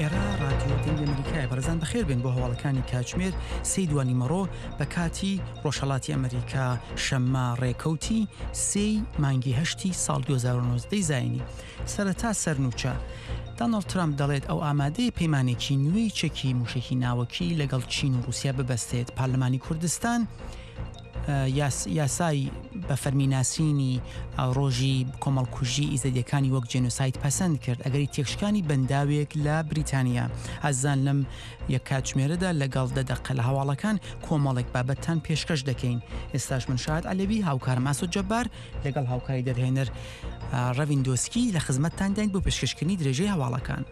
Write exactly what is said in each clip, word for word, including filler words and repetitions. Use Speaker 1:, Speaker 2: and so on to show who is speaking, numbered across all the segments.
Speaker 1: ئێرە ڕادیۆ دەنگی ئەمریکایە. بەڕێزان بەخێر بێن بۆ هەواڵەکانی کاتژمێر سێی دوانیمەڕۆ بە کاتی ڕۆژهەڵاتی ئەمریکا، شەممە ڕێکەوتی سێی مانگی هەشتی ساڵ دوو هەزار و نۆزدە زایینی. سەرەتا سەرنوچە. دانۆڵد ترامپ دەڵێت ئەو ئامادەیە پەیمانێکی نوێی چەکی موشەکی ناوەکی لەگەڵ چین و ڕوسیا ببەستێت. پارلەمانی کوردستان یاسای بە فەرمی ناسینی ڕۆژی کۆمەڵکوژی ئیزەدیەکانی وەک جێنۆساید پەسەند کرد. ئەگەری تێکشکانی بەنداوێک لە بریتانیا. ئازیزان لەم یەک کاتژمێرەدا لەگەڵ دە دەقە لە هەواڵەکان کۆمەڵێک بابەتتان پێشکەش دەکەین. ئێستاش من شاهد عەلەوی هاوکارم ئاسۆ جەبار لەگەڵ هاوکاری دەرهێنەر ڕەڤین دۆسکی لە خزمەتتان داین بۆ پێشکەشکردنی درێژەی هەواڵەکان.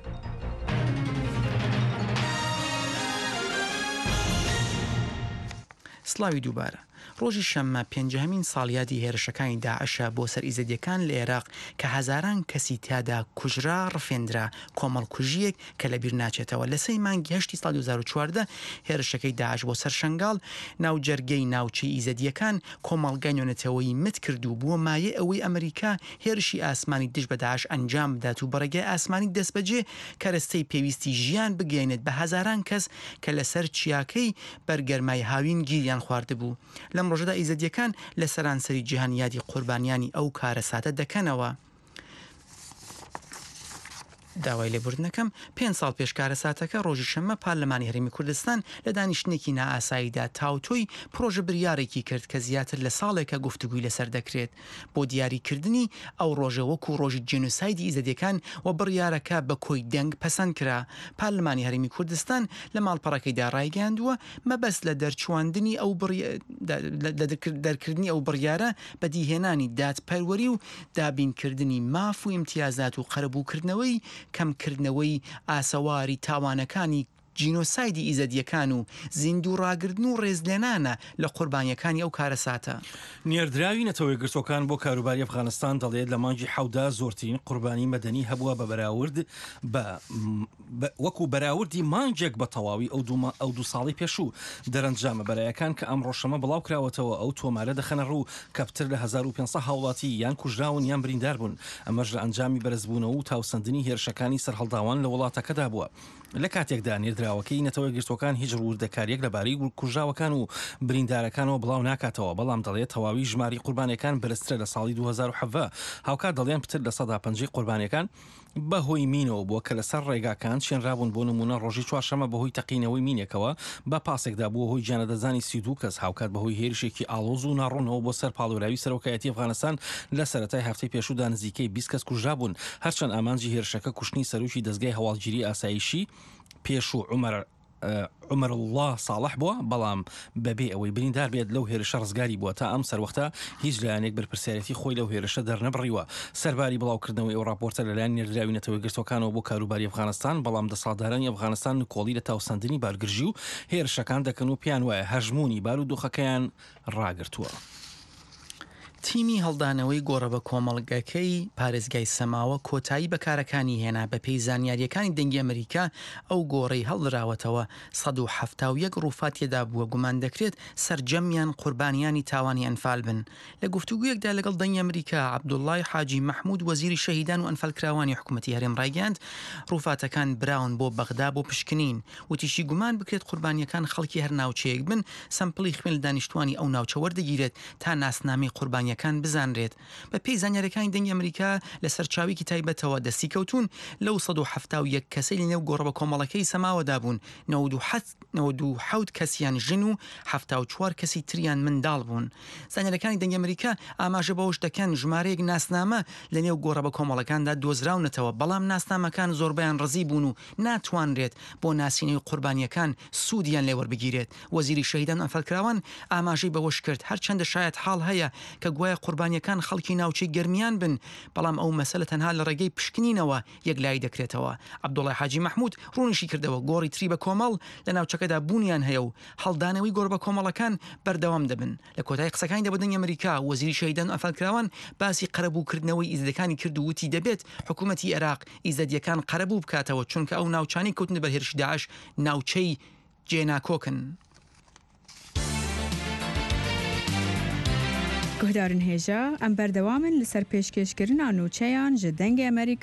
Speaker 1: سڵاوی دووبارە. ڕۆژی شەممە پێنجەهەمین ساڵیادی هێرشەکانی داعشە بۆ سەر ئیزەدیەکان لە عێراق کە هەزاران کەسی تیادا کوژرا ڕفێندرا، کۆمەڵکوژییەک کە لەبیر ناچێتەوە. لە سێی مانگی هەشتی ساڵی دوو هەزار و چواردە هێرشەکەی داعش بۆ سەر شەنگاڵ، ناوجەرگەی ناوچەی ئیزەدیەکان، کۆمەڵگای نێونەتەوەیی مت کرد و بووە مایەی ئەوەی ئەمریکا هێرشی ئاسمانی دژ بە داعش ئەنجام بدات و بە ڕێگای ئاسمانی دەستبەجێ کەرەستەی پێویستی ژیان بگەیەنێت بە هەزاران کەس کە لەسەر چیاکەی بەر گەرمای هاوین گیریان خواردبوو. لەم ڕۆژەدا ئیزەدیەکان لە سەرانسەری جیهان یادی قوربانیانی ئەو کارەساتە دەکەنەوە. داوای لێبوردنەکەم، پێنج ساڵ پێش کارەساتەکە ڕۆژی شەممە پارلەمانی هەرێمی کوردستان لە دانیشتنێکی نائاساییدا تاوتۆی پرۆژە بریارێکی کرد کە زیاتر لە ساڵێکە گفتوگوی لەسەر دەکرێت بۆ دیاریکردنی ئەو ڕۆژە وەکو ڕۆژی جینۆسایدی ئیزەدیەکان و بڕیارەکە بە کۆی دەنگ پەسەند کرا. پارلەمانی هەرێمی کوردستان لە ماڵپەڕەکەیدا ڕایگەیاندووە مەبەست لە دەرچواندنی ئەو دەرکردنی ئەو بڕیارە بەدیهێنانی دادپەروەری و دابینکردنی ماف و ئیمتیازات و قەرەبووکردنەوەی کەمکردنەوەی ئاسەواری تاوانەکانی جینۆسایدی ئیزەدیەکان و زیندوو ڕاگرتن و ڕێزلێنانە لە قوربانیەکانی ئەو کارەساتە.
Speaker 2: نێردراوی نەتەوە یەکگرتووەکان بۆ کاروباری ئەفغانستان دەڵێت لە مانگی حەوتدا زۆرترین قوربانی مەدەنی هەبووە بە بەراورد بە وەکو بەراوردی مانگێک بە تەواوی ئەو دوو ئەو دوو ساڵی پێشوو. دەرەنجامە بەرایەکان کە ئەمڕۆ شەمە بڵاو کراوەتەوە ئەو تۆمارە دەخەنە ڕوو کە پتر لە هەزار و پێنج سەد هاوڵاتی یان کوژراون یان بریندار بوون، ئەمەش لە ئەنجامی بەرزبوونەوە و تاوسەندنی هێرشەکانی سەرهەڵداوان لە وڵاتەکەدا بووە. لە کاتێکدا نێردراوەکەی نەتەوە یەکگرتووەکان هیچ وردەکارییەک لەبارەی کوژراوەکان و بریندارەکانەوە بڵاو ناکاتەوە، بەڵام دەڵێت تەواوی ژمارەی قوربانیەکان بەرزترە لە ساڵی دوو هەزار و حەڤدە. هاوکات دەڵێن پتر لە سەدا پەنجای قوربانیەکان بەهۆی مینەوە بووە کە لەسەر ڕێگاکان چێنرابوون، بۆ نموونە ڕۆژی چوارشەممە بەهۆی تەقینەوەی مینێکەوە بە پاسێکدا بووە هۆی گیانلەدەستدانی سی و دوو کەس، هاوکات بەهۆی هێرشێکی ئاڵۆز و ناڕوونەوە بۆ سەر پاڵێوراوی سەرۆکایەتی ئەفغانستان لە سەرەتای هەفتەی پێشوودا نزیکەی بیست کەس کوژرابوون، هەرچەند ئامانجی هێرشەکە کوشتنی سەرۆکی دەزگای هەواڵگیری ئاسایشی پێشوو عومەر عومەروڵڵا ساڵح بووە، بەڵام بەبێ ئەوەی بریندار بێت لەو هێرشە ڕزگاری بووە. تا ئەم سەروەختە هیچ لایەنێک بەرپرسیارێتی خۆی لەو هێرشە دەرنەبڕیوە. سەرباری بڵاوکردنەوەی ئەو ڕاپۆرتە لەلایەن نێردراوی نەتەوە یەکگرتووەکانەوە بۆ کاروباری ئەفغانستان، بەڵام دەسەڵاتدارانی ئەفغانستان نکۆڵی لە تاوسەندنی بارگرژی و هێرشەکان دەکەن و پێیان وایە هەژموونی بارودۆخەکەیان ڕاگرتووە.
Speaker 1: تیمی هەڵدانەوەی گۆڕە بە کۆمەڵگەکەی پارێزگای سەماوە کۆتایی بە کارەکانی هێنا، بەپێی زانیارییەکانی دەنگی ئەمریکا ئەو گۆڕەی هەڵدراوەتەوە سەد و حەفتا و یەک ڕووفات تێدا بووە، گومان دەکرێت سەرجەمیان قوربانیانی تاوانی ئەنفال بن. لە گفتوگویەکدا لەگەڵ دەنگی ئەمریکا عەبدوڵای حاجی مەحمود وەزیری شەهیدان و ئەنفالکراوانی حکومەتی هەرێم ڕایگەیاند ڕووفاتەکان براون بۆ بەغدا بۆ پشکنین، وتیشی گومان بکرێت قوربانیەکان خەڵکی هەر ناوچەیەک بن سەمپڵی خوێن لە دانیشتوانی ئەو ناوچە وەردەگیرێت تا ناسنامەی قوربانیەکان بزانرێت. بە پێی زانیاریەکانی دەنگی ئەمریکا لە سەرچاوەیەکی تایبەتەوە دەستی کەوتوون لەو سەد و حەفتا و یەک کەسەی لە نێو گۆڕە بەکۆمەڵەکەی سەماوەدا بوون نەوەد و حەوت کەسیان ژن و حەفتا و چوار کەسی تریان منداڵ بوون. زانیاریەکانی دەنگی ئەمریکا ئاماژە بەوەش دەکەن ژمارەیەک ناسنامە لە نێو گۆڕە بەکۆمەڵەکاندا دۆزراونەتەوە، بەڵام ناسنامەکان زۆربەیان ڕزی بوون و ناتوانرێت بۆ ناسینەوەی قوربانیەکان سوودیان لێ وەربگیرێت. وەزیری شەهیدان و ئەنفالکراوان ئاماژەی بەوەشکرد، هەرچەندە شایەتحاڵ هەیە کە گوایە قوربانیەکان خەڵکی ناوچەی گەرمیان بن، بەڵام ئەو مەسەلە تەنها لە ڕێگەی پشکنینەوە یەکلایی دەکرێتەوە. عەبدوڵای حاجی مەحمود ڕوونیشی کردەوە، گۆڕی تری بە کۆمەڵ لە ناوچەکەدا بوونیان هەیە و هەڵدانەوەی گۆڕ بە کۆمەڵەکان بەردەوام دەبن. لە کۆتایی قسەکانیدا بۆ دەنگی ئەمریکا، وەزیری شەهیدان و ئەنفالکراوان باسی قەرەبووکردنەوەی ئیزدیەکانی کرد و وتی دەبێت حکوومەتی عێراق ئیزەدیەکان قەرەبوو بکاتەوە، چونکە ئەو ناوچانەی کەوتنە بەر هێرشی داعش ناوچەی جێناکۆکن.
Speaker 3: گوهدارن هێژا، ئەم بەردەوامن لەسەر پێشکێشکردنا نوچەیان ji دەنگê Amerîka.